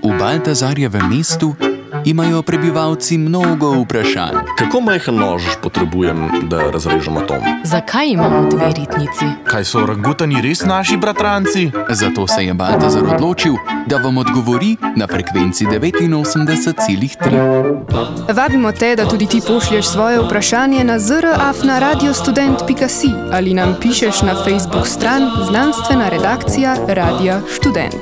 V Baltazarjevem mestu imajo prebivalci mnogo vprašanj. Kako majhen nož potrebujem, da razrežem atom? Zakaj imamo dve ritnici? Kaj so orangutani res naši bratranci? Zato se je Baltazar odločil, da vam odgovori na frekvenci 89,3. Vabimo te, da tudi ti pošlješ svoje vprašanje na zr@radiostudent.si ali nam pišeš na Facebook stran Znanstvena redakcija Radia Študent.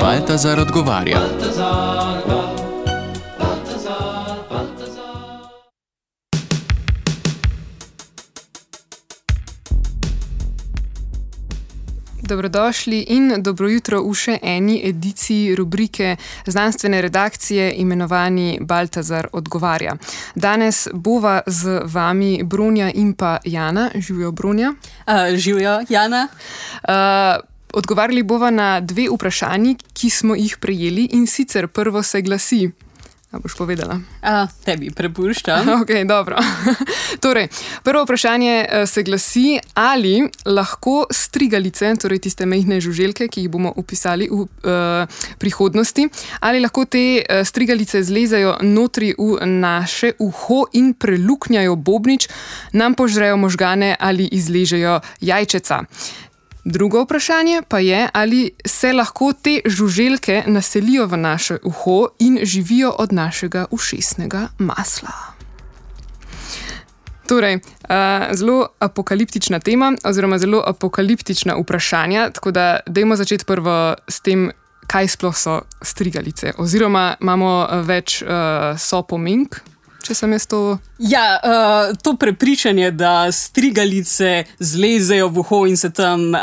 Baltazar odgovarja. Dobrodošli in dobro jutro v še eni ediciji rubrike znanstvene redakcije imenovani Baltazar odgovarja. Danes bova z vami Bronja in pa Jana. Živjo, Bronja. Živjo, Jana. Odgovarjali bova na dve vprašanji, ki smo jih prejeli, in sicer prvo se glasi. A boš povedala? Tebi prepuščam. Ok, dobro. Torej, prvo vprašanje se glasi, ali lahko strigalice, torej tiste majhne žuželke, ki jih bomo opisali v prihodnosti, ali lahko te strigalice zlezajo notri v naše uho in preluknjajo bobnič, nam požrejo možgane ali izležejo jajčeca. Drugo vprašanje pa je, ali se lahko te žuželke naselijo v naše uho in živijo od našega ušesnega masla. Torej, zelo apokaliptična tema oziroma zelo apokaliptična vprašanja, tako da dajmo začeti prvo s tem, kaj sploh so strigalice. Oziroma imamo več sopomenk, če sem jaz to... Ja, to prepričanje, da strigalice zlezejo v uho in se tam,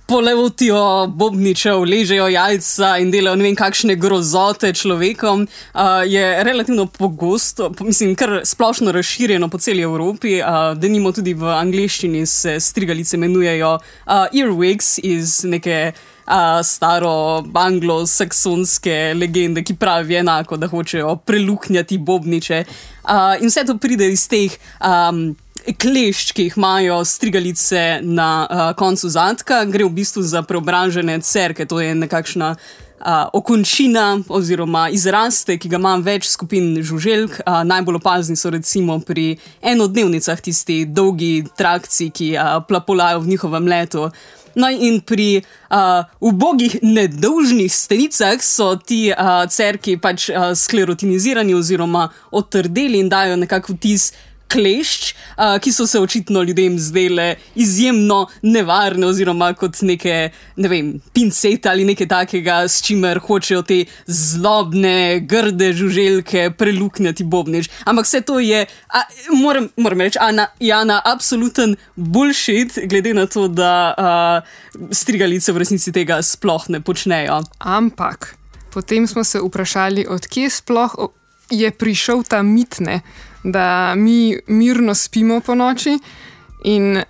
polevotijo bobničev, ležejo jajca in delajo ne vem kakšne grozote človekom, je relativno pogosto, mislim, kar splošno razširjeno po celi Evropi. Denimo tudi v angleščini se strigalice imenujejo earwigs iz neke staro anglosaksonske legende, ki pravi enako, da hočejo preluknjati bobniče. In vse to pride iz teh klešč, ki jih imajo strigalice na koncu zadka. Gre v bistvu za preobražene cerke, to je nekakšna okončina oziroma izraste, ki ga ima več skupin žuželk. Najbolj opazni so recimo pri enodnevnicah tisti dolgi trakci, ki plapolajo v njihovem letu. No in pri ubogih nedolžnih stenicah so ti cerki pač sklerotinizirani oziroma otrdeli in dajo nekako vtis klešč, ki so se očitno ljudem zdele izjemno nevarne oziroma kot neke, ne vem, pincete ali nekaj takega, s čimer hočejo te zlobne, grde žuželke preluknjati bobnič. Ampak vse to je, moram reči, Jana, absoluten bullshit, glede na to, da strigalice v resnici tega sploh ne počnejo. Ampak potem smo se vprašali, od kje sploh je prišel ta mit, da mi mirno spimo po noči in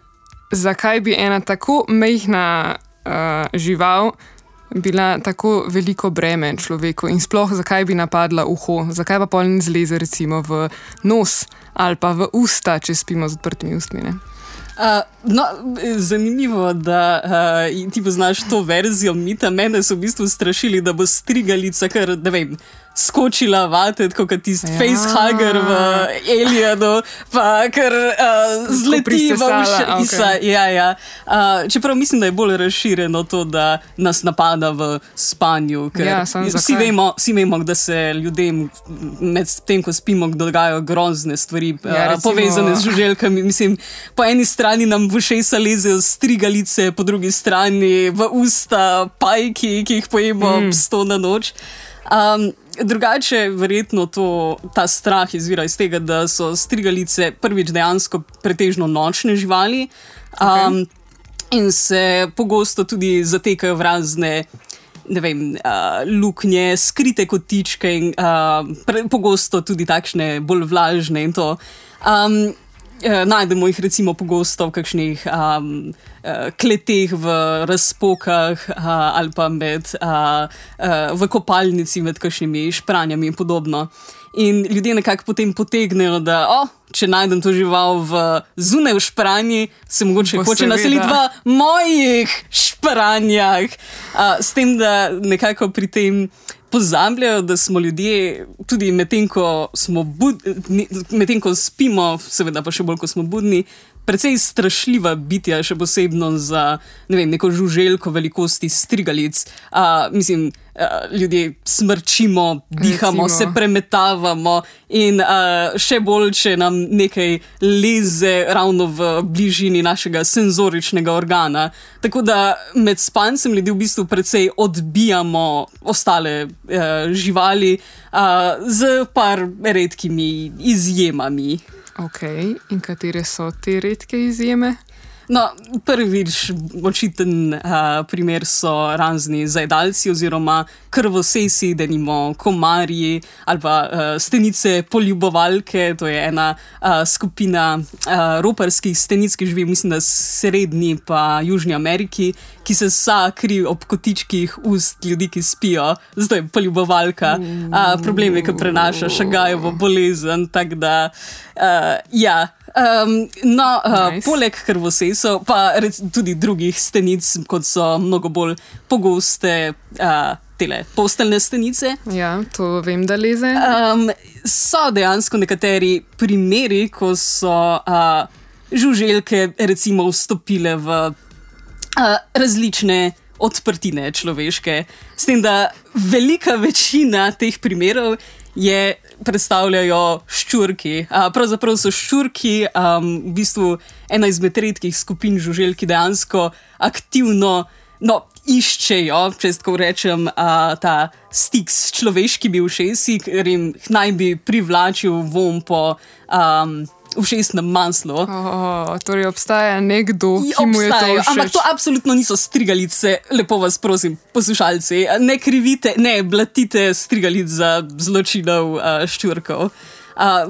zakaj bi ena tako majhna žival bila tako veliko breme človeku in sploh zakaj bi napadla uho, zakaj pa pol ne zleze recimo v nos ali pa v usta, če spimo z odprtimi ustmi, zanimivo, da ti poznaš to verzijo mita. Mene so v bistvu strašili, da bo strigalica kar, ne vem, skočila vate, tako kot tisti facehugger v Alienu, pa kar zleti v ušesa. Ja. Čeprav mislim, da je bolj razširjeno to, da nas napada v spanju, ker vsi vemo, da se ljudem med tem, ko spimo, dogajajo grozne stvari, povezane z žuželkami. Mislim, po eni strani nam v ušesa lezejo strigalice, po drugi strani v usta pajki, ki jih pojemo ob 100 na noč. Drugače, verjetno ta strah izvira iz tega, da so strigalice prvič dejansko pretežno nočne živali, in se pogosto tudi zatekajo v razne, ne vem, luknje, skrite kotičke in pogosto tudi takšne bolj vlažne in to. Najdemo jih recimo pogosto v kakšnih kleteh v razpokah ali pa v kopalnici med kakšnimi špranjami in podobno. In ljudje nekako potem potegnejo, da če najdem to žival zunaj v špranji, se mogoče hoče naseliti v mojih špranjah. S tem, da nekako pri tem pozabljajo, da smo ljudje tudi medtem, ko spimo, seveda pa še bolj, ko smo budni, precej strašljiva bitja, še posebno za neko žuželko velikosti strigalic. Ljudje smrčimo, dihamo, se premetavamo in še bolj, če nam nekaj leze ravno v bližini našega senzoričnega organa. Tako da med spancem ljudi v bistvu precej odbijamo ostale živali z par redkimi izjemami. Ok, in katere so te redke izjeme? No, prvič očiten primer so razni zajedalci oziroma krvosesi, denimo komarji ali pa stenice poljubovalke, to je ena skupina roparskih stenic, ki živi, mislim, da srednji pa Južni Ameriki, ki se kri ob kotičkih ust ljudi, ki spijo, zato je poljubovalka. Problem je, ko prenaša šagajevo bolezen, tako da ja. Nice. Poleg krvosesov pa tudi drugih stenic, kot so mnogo bolj pogoste tele posteljne stenice. Ja, to vem, da leze. So dejansko nekateri primeri, ko so žuželke recimo vstopile v različne odprtine človeške. S tem, da velika večina teh primerov predstavljajo ščurki. Pravzaprav so ščurki v bistvu ena izmed redkih skupin žuželk, ki dejansko aktivno iščejo, če tako rečem, ta stik s človeškimi ušesi, ker jim naj bi privlačil vonj po ušesnem maslu. Torej obstaja nekdo, ki mu je to všeč. Ampak to absolutno niso strigalice, lepo vas prosim, poslušalci. Ne krivite, ne blatite strigalic za zločinov ščurkov.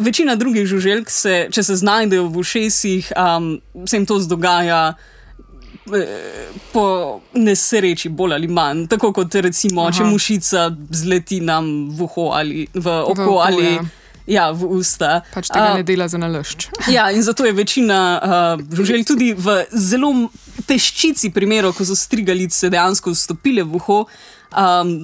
Večina drugih žuželk če se znajdejo v ušesih, se jim to dogaja po nesreči bolj ali manj. Tako kot recimo, če mušica zleti nam v oko ali v usta. Pač tega ne dela za nalašč. Ja, in zato je večina žuželk tudi v zelo peščici primerov, ko so strigalice dejansko vstopile v uho,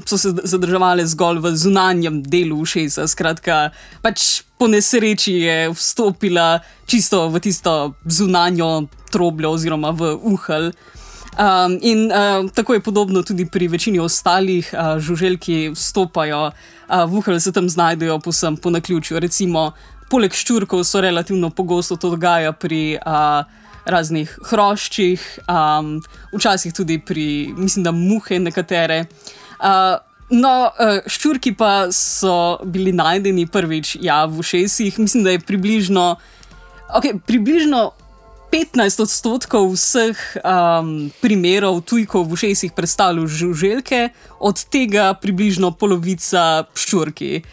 so se zadrževale zgolj v zunanjem delu ušesa. Skratka, pač po nesreči je vstopila čisto v tisto zunanjo trobljo oziroma v uhelj. In tako je podobno tudi pri večini ostalih žuželk, ki vstopajo v uhelj, se tam znajdejo povsem po naključju. Recimo, poleg ščurkov so relativno pogosto to dogaja pri raznih hroščih, včasih tudi pri, mislim, da muhe nekatere. Ščurki pa so bili najdeni prvič v ušesih. Mislim, da je približno 15% vseh primerov tujkov v ušesih predstavljajo žuželke, od tega približno polovica ščurki.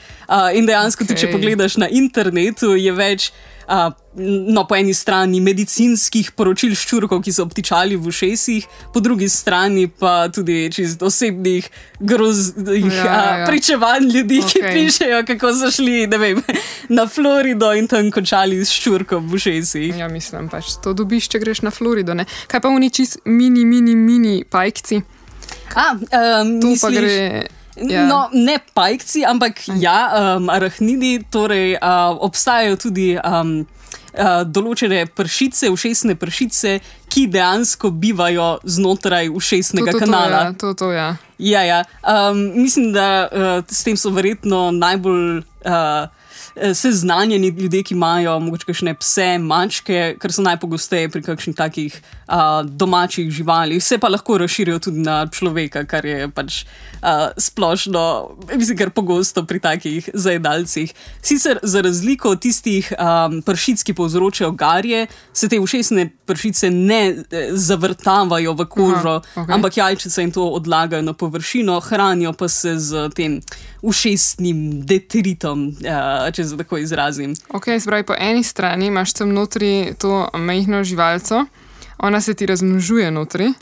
In dejansko tudi, če pogledaš na internetu, je več po eni strani medicinskih poročil ščurkov, ki so obtičali v ušesih, po drugi strani pa tudi čisto osebnih groznih pričevanj ljudi, ki pišejo, kako so šli, ne vem, na Florido in tam končali s ščurkom v ušesih. Ja, mislim, pač to dobiš, če greš na Florido, ne? Kaj pa oni čist mini pajkci? Misliš, pa gre... Ja. No, ne pajkci, ampak arahnidi, torej obstajajo tudi določene pršice, ušesne pršice, ki dejansko bivajo znotraj ušesnega kanala. Ja. Mislim, da s tem so verjetno najbolj seznanjeni ljudje, ki imajo mogoče kakšne pse, mačke, ker so najpogosteje pri kakšnih takih domačih živalih. Se pa lahko razširijo tudi na človeka, kar je pač splošno, mislim, kar pogosto pri takih zajedalcih. Sicer za razliko od tistih pršic, ki povzročajo garje, se te ušesne pršice ne zavrtavajo v kožo, ampak jajčica jim to odlagajo na površino, hranijo pa se z tem ušesnim detritom, če se tako izrazim. Se pravi, po eni strani imaš tam notri to majhno živalco, ona se ti razmnožuje notri,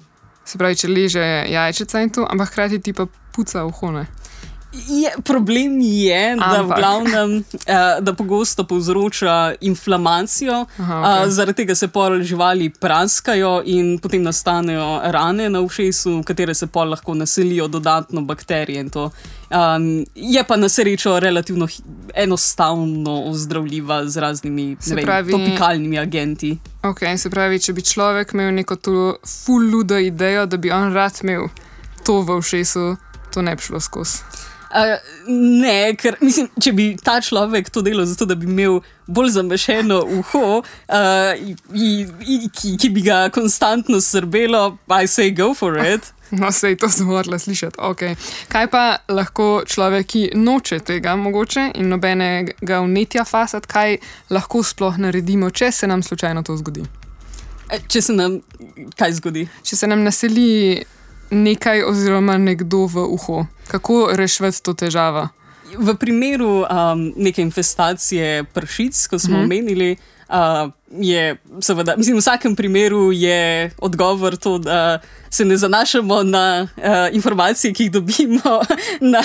se pravi, če leže jajčica in to, ampak hkrati ti pa puca uho, ne? Problem je, da v glavnem, da pogosto povzroča inflamacijo, zaradi tega se pol živali praskajo in potem nastanejo rane na ušesu, v katere se pol lahko naselijo dodatno bakterije in to. Je pa na srečo relativno enostavno ozdravljiva z raznimi topikalnimi agenti. Ok, se pravi, če bi človek imel neko to ful ludo idejo, da bi on rad imel to v ušesu, to ne bi šlo skozi. Ne, ker mislim, če bi ta človek to delal zato, da bi imel bolj zamešeno uho, ki bi ga konstantno srbelo, I say go for it. No, sej, to sem morala slišati. Okay. Kaj pa lahko človek, ki noče tega mogoče in nobenega vnetja fasati, kaj lahko sploh naredimo, če se nam slučajno to zgodi? Če se nam kaj zgodi? Če se nam naseli nekaj oziroma nekdo v uho. Kako rešiti to težavo? V primeru neke infestacije pršic, kot smo omenili, je seveda, mislim, v vsakem primeru je odgovor to, da se ne zanašamo na informacije, ki jih dobimo na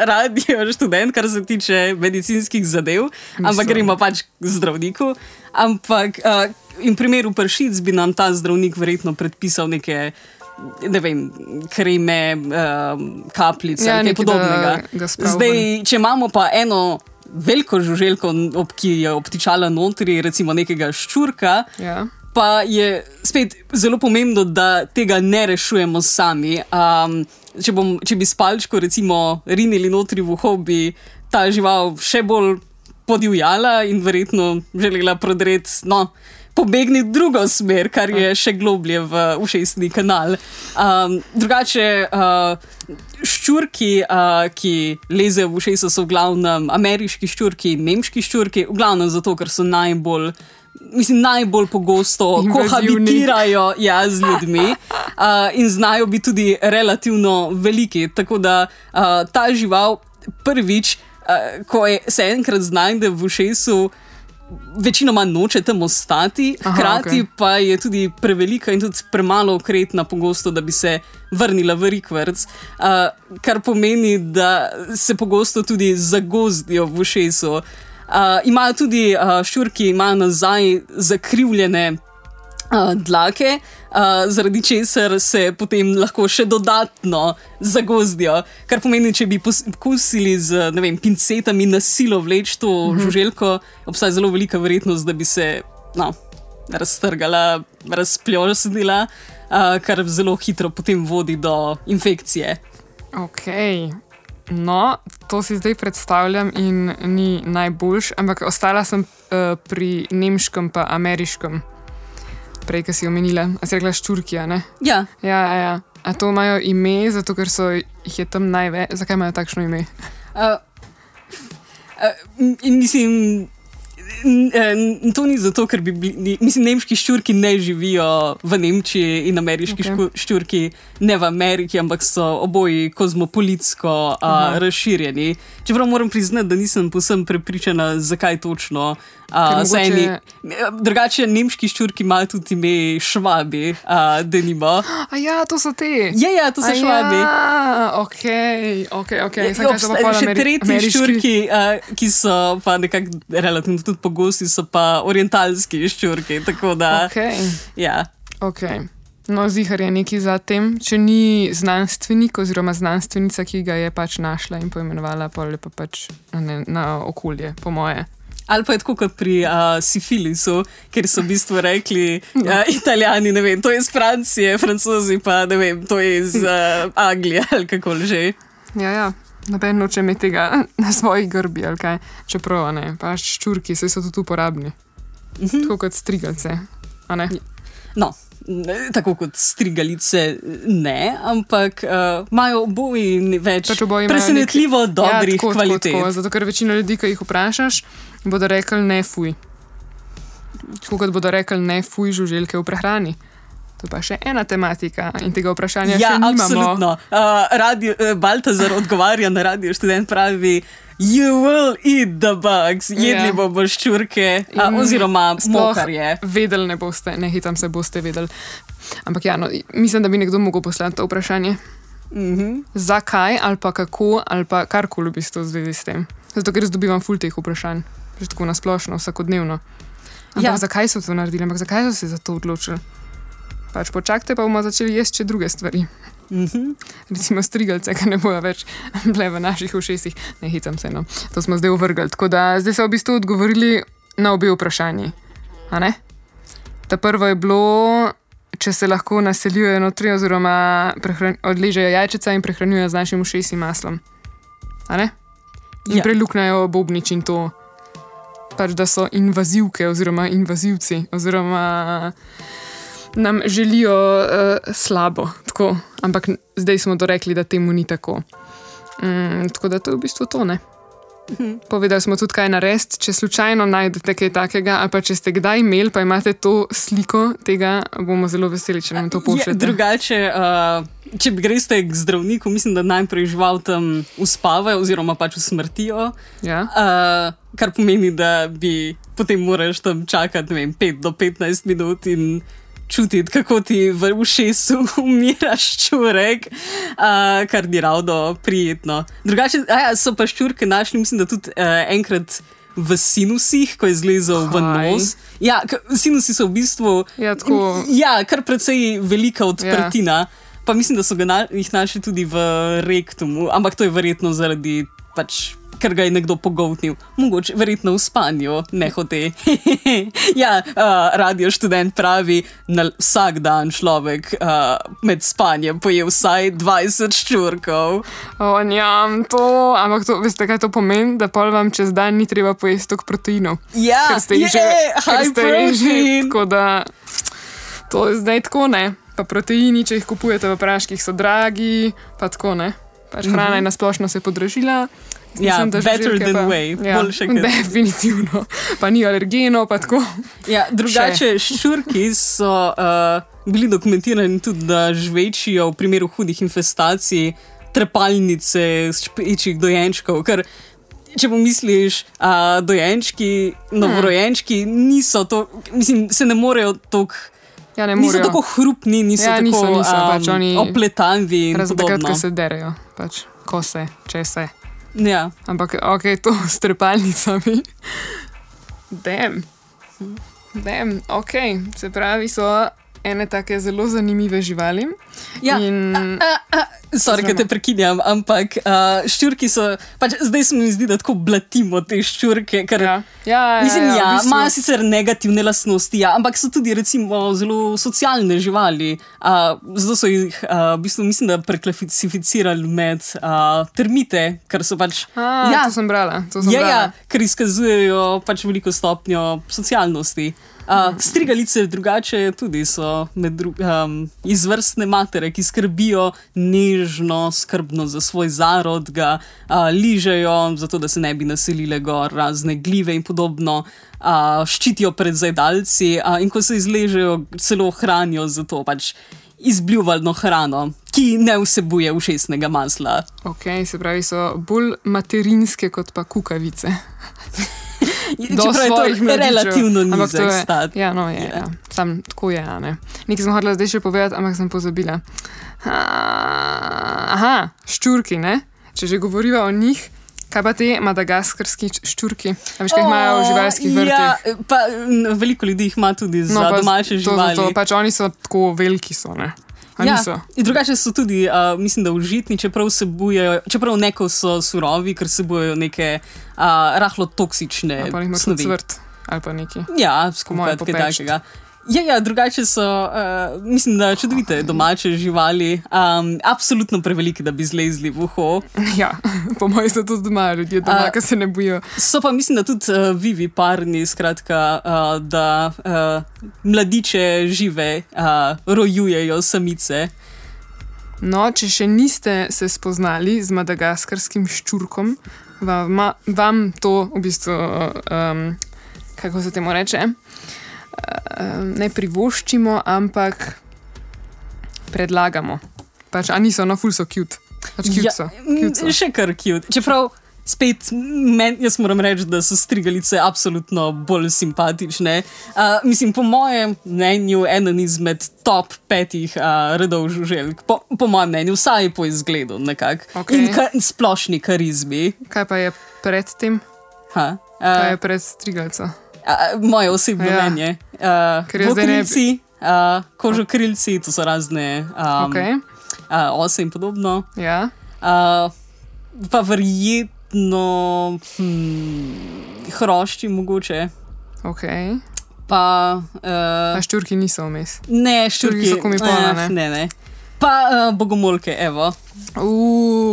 Radio Študent, kar se tiče medicinskih zadev, ampak gremo pač k zdravniku. Ampak v primeru pršic bi nam ta zdravnik verjetno predpisal neke, ne vem, kreme, kapljice, nekaj podobnega. Zdaj, če imamo pa eno veliko žuželko, ki je obtičala notri, recimo nekega ščurka, pa je spet zelo pomembno, da tega ne rešujemo sami. Če bi s palčko recimo rinili notri v uho, bi ta žival še bolj podivjala in verjetno želela prodreti, pobegniti v drugo smer, kar je še globlje v ušesni kanal. Drugače, ščurki, ki lezejo v ušeso, so v glavnem ameriški ščurki in nemški ščurki, v glavnem zato, ker so najbolj pogosto kohabitirajo z ljudmi in znajo biti tudi relativno veliki. Tako da ta žival prvič, ko se enkrat znajde v ušesu, večinoma noče tam ostati, hkrati pa je tudi prevelika in tudi premalo okretna pogosto, da bi se vrnila v rikverc, kar pomeni, da se pogosto tudi zagozdijo v ušesu. Imajo tudi ščurki, imajo nazaj zakrivljene dlake, zaradi česar se potem lahko še dodatno zagozdijo. Kar pomeni, če bi poskusili z, ne vem, pincetami na silo vleči to žuželko, obstaja zelo velika verjetnost, da bi se raztrgala, razpljošnila, kar zelo hitro potem vodi do infekcije. Ok. No, to si zdaj predstavljam in ni najboljš, ampak ostala sem pri nemškem pa ameriškem. Prej, ki si omenila. A si rekla ščurki, ne? Ja. A to imajo ime, zato ker jih je tam največ? Zakaj imajo takšno ime? Mislim, to ni zato, ker bi bili... Mislim, nemški ščurki ne živijo v Nemčiji in ameriški ščurki ne v Ameriki, ampak so oboji kozmopolitsko razširjeni. Čeprav moram priznati, da nisem povsem prepričana, zakaj točno. Drugače, nemški ščurki imajo tudi ime švabi, denimo. To so te. Ja, to so švabi. Ok. Še tretji ščurki, ki so pa nekako relativno tudi pogosti, so pa orientalski ščurki, tako da... Ok. No, zihar je nekaj za tem, če ni znanstvenik oziroma znanstvenica, ki ga je pač našla in poimenovala pa pač na okolje, po moje. Ali pa je tako kot pri sifilisu, ker so v bistvu rekli Italijani, ne vem, to je iz Francije, Francozi pa, ne vem, to je iz Anglije ali kako že. Ja, noben noče imeti tega na svojih grbi ali kaj, čeprav, ne, pa ščurki, saj so tudi uporabni. Tako kot strigalce, a ne? No, tako kot strigalice ne, ampak imajo oboji več presenetljivo dobrih kvalitet. Zato, ker večina ljudi, ki jih vprašaš, bodo rekli ne fuj. Tako kot bodo rekli ne fuj žuželke v prehrani. To je pa še ena tematika in tega vprašanja še nimamo. Absolutno. Baltazar odgovarja na Radio Študent, pravi You will eat the bugs. Jedli bomo ščurke oziroma mokarje. Vedeli ne boste, ne hitam se boste vedeli. Ampak mislim, da bi nekdo mogel poslati to vprašanje. Zakaj ali pa kako ali pa karkoli v bistvu v zvezi s tem. Zato, ker dobivam ful teh vprašanj. Že tako nasplošno, vsakodnevno. Ampak zakaj so to naredili? Ampak zakaj so se za to odločili? Pač počakajte, pa bomo začeli jesti še druge stvari. Recimo strigalce, ki ne bojo več bile v naših ušesih. Ne hecam se, no. To smo zdaj uvrgali. Tako da zdaj so v bistvu odgovorili na obe vprašanji. A ne? Ta prvo je bilo, če se lahko naseljujejo notri oziroma odležejo jajčica in prehranjujejo z našim ušesim maslom. A ne? In preluknajo bobnič in to. Pač, da so invazivke oziroma invazivci oziroma nam želijo slabo. Tako. Ampak zdaj smo dorekli, da temu ni tako. Tako da to je v bistvu to, ne? Povedali smo tudi, kaj narediti, če slučajno najdete kaj takega, ali pa če ste kdaj imeli, pa imate to sliko tega, bomo zelo veseli, če nam to pošljete. Drugače, če greste k zdravniku, mislim, da najprej žival tam uspavajo oziroma pač usmrtijo, kar pomeni, da bi potem moraš tam čakati, ne vem, 5 do 15 minut in čutiti, kako ti v ušesu umira ščurek, kar ni ravno prijetno. Drugače, so pa ščurke našli, mislim, da tudi enkrat v sinusih, ko je zlezel v nos. Ja, sinusi so v bistvu kar precej velika odprtina, pa mislim, da so jih našli tudi v rektumu, ampak to je verjetno zaradi pač ker ga je nekdo pogoltnil. Mogoče, verjetno v spanju, nehote. Radio študent pravi, vsak dan človek med spanjem poje vsaj 20 ščurkov. Njam, ampak to, veste, kaj to pomeni? Da pol vam čez dan ni treba pojesti toliko proteinov. Ja, high protein. Tako da, to je zdaj tako, ne? Pa proteini, če jih kupujete v praških, so dragi, pa tako, ne? Pač hrana je nasplošno se podražila. Mislim, better than way. Boljše kot. Definitivno. Pa ni alergenov, pa tako. Ja, drugače, ščurki so bili dokumentirani tudi, da žvečijo v primeru hudih infestacij trepalnice špečih dojenčkov, ker če pomisliš, dojenčki, novorojenčki niso to, mislim, se ne morejo toliko. Niso tako hrupni, niso tako pač opletanvi in podobno. Takrat, ko se derejo, pač, ko se, če se. Ja. Ampak, to s trepalnicami. Damn, se pravi, so ene take zelo zanimive živali. Ja, sorry, da te prekinjam, ampak ščurki so, pač zdaj se mi zdi, da tako blatimo te ščurke, ker imajo sicer negativne lastnosti, ampak so tudi recimo zelo socialne živali. Zato so jih, v bistvu mislim, da preklasificirali med termite, ker so pač... to sem brala. Ker izkazujejo pač veliko stopnjo socialnosti. Strigalice drugače tudi so izvrstne matere, ki skrbijo nežno, skrbno za svoj zarod, ga ližejo, zato da se ne bi naselile gor razne glive in podobno, ščitijo pred zajedalci in ko se izležejo, celo hranijo za to pač izbljuvalno hrano, ki ne vsebuje ušesnega masla. Se pravi, so bolj materinske kot pa kukavice. Čeprav je to relativno nizek stat. Sam tako je, ne. Nekaj sem hodila zdaj še povedati, ampak sem pozabila. Ščurki, ne? Če že govoriva o njih, kaj pa te madagaskarski ščurki? A veš, kaj imajo v živalskih vrtih? Pa veliko ljudi jih ima tudi za domače živali. Pač oni so tako veliki so, ne? In drugače so tudi, mislim, da užitni, čeprav neko so surovi, ker sebujejo neke rahlo toksične snovi. Pa jih ima cvrt ali pa neki. Ja, skupaj kaj takega. Drugače so, mislim, da čudovite domače živali, absolutno preveliki, da bi zlezli v uho. Po mojem so tudi doma ljudje doma, ki se ne bojijo. So pa mislim, da tudi viviparni, skratka, da mladiče žive rojujejo samice. No, če še niste se spoznali z madagaskarskim ščurkom, vam to v bistvu, kako se temu reče, ne privoščimo, ampak predlagamo. Pač, niso, ful so cute. Pač cute so. Še kar cute. Čeprav spet, jaz moram reči, da so strigalice absolutno bolj simpatične. Mislim, po mojem mnenju, eden izmed top 5 redov žuželk. Po mojem mnenju, vsaj po izgledu nekako. Okay. In splošni karizmi. Kaj pa je pred tem? Kaj je pred strigalco? Moje osebno mnenje. Vokrilci, kožokrilci, to so razne ose in podobno. Ja. Pa verjetno hrošči mogoče. Okay. Pa ščurki niso vmes. Ne, ščurki so komipolna, ne? Ne. Pa bogomolke, evo.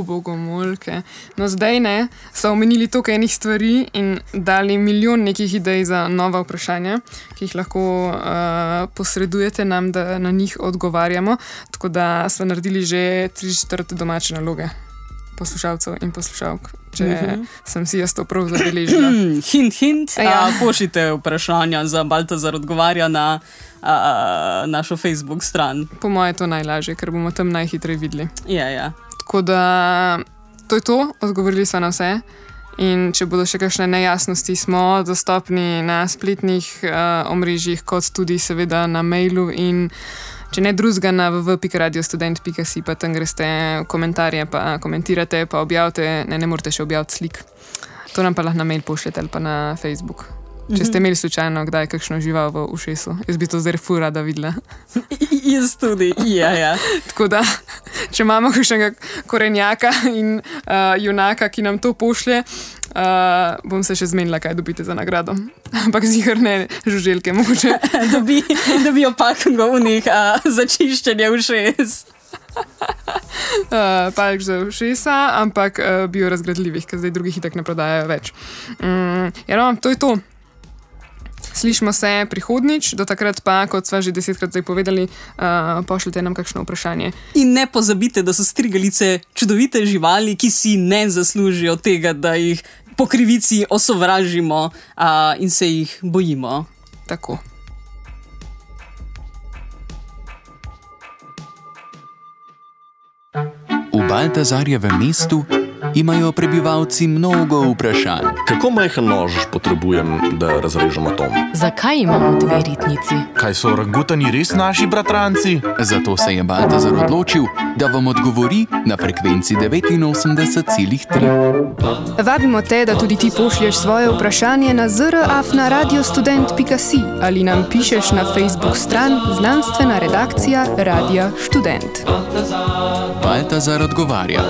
Bogomolke. No zdaj ne, so omenili toliko enih stvari in dali milijon nekih idej za nova vprašanja, ki jih lahko posredujete nam, da na njih odgovarjamo. Tako da smo naredili že 3/4 domače naloge poslušalcev in poslušalk, če sem si jaz to prav zabeležila. Hint. Pošljite vprašanja za Baltazar odgovarja na našo Facebook stran. Po moje je to najlažje, ker bomo tam najhitreje videli. Ja. Tako da to je to, odgovorili smo na vse. In če bodo še kakšne nejasnosti, smo dostopni na spletnih omrežjih, kot tudi seveda na mailu in če ne drugega na www.radiostudent.si, pa tam greste v komentarje, pa komentirate, pa objavite, ne morete še objaviti slik. To nam pa lahko na mail pošljete ali pa na Facebook. Če ste imeli slučajno kdaj kakšno žival v ušesu. Jaz bi to zdaj ful rada videla. Jaz tudi, ja. Tako da, če imamo kakšnega korenjaka in junaka, ki nam to pošlje, bom se še zmenila, kaj dobite za nagrado. Ampak ziher ne žuželke, mogoče. Dobijo pakungo v njih za čiščenje ušes. Palč za ušesa, ampak biorazgradljivih, ker zdaj drugih itak ne prodajajo več. To je to. Slišimo se prihodnič, do takrat pa, kot sva že 10-krat zdaj povedali, pošljite nam kakšno vprašanje. In ne pozabite, da so strigalice čudovite živali, ki si ne zaslužijo tega, da jih po krivici osovražimo in se jih bojimo. Tako. V Baltazarjevem mestu imajo prebivalci mnogo vprašanj. Kako majhen nož potrebujem, da razrežem atom? Zakaj imamo 2 ritnici? Kaj so orangutani res naši bratranci? Zato se je Baltazar odločil, da vam odgovori na frekvenci 89,3. Vabimo te, da tudi ti pošlješ svoje vprašanje na zraf@radiostudent.si ali nam pišeš na Facebook stran Znanstvena redakcija Radia Študent. Baltazar odgovarja.